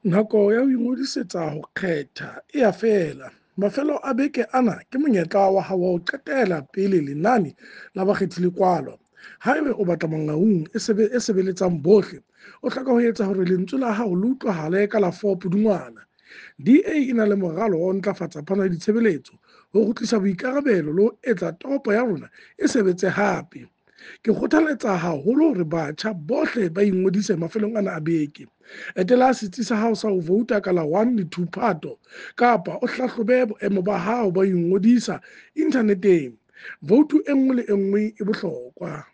Nako ya ho ingodisetsa ho kgetha e a fela. Mafelo a beke ana ke monyetla wa hao wa ho qetela pele lenane la bakgethi le kwalwa. Haeba o batla Mangaung e sebeletsang bohle, o hloka ho etsa hore lentswe la hao le utlwahale ka la 4 Pudungwana. DA e na le moralo wa ho ntlafatsa phano ya ditshebeletso, ho kgutlisa boikarabelo le ho etsa toropo ya rona e sebetse hape. Ke kgothaletsa haholo hore batjha bohle ba ingodise mafelong ana a beke. Etela setsi sa hao sa ho vouta ka la 1 le 2 Phato kapa o hlahlobe boemo ba hao ba ho ingodisa inthaneteng. Voutu e nngwe le e nngwe e bohlokwa.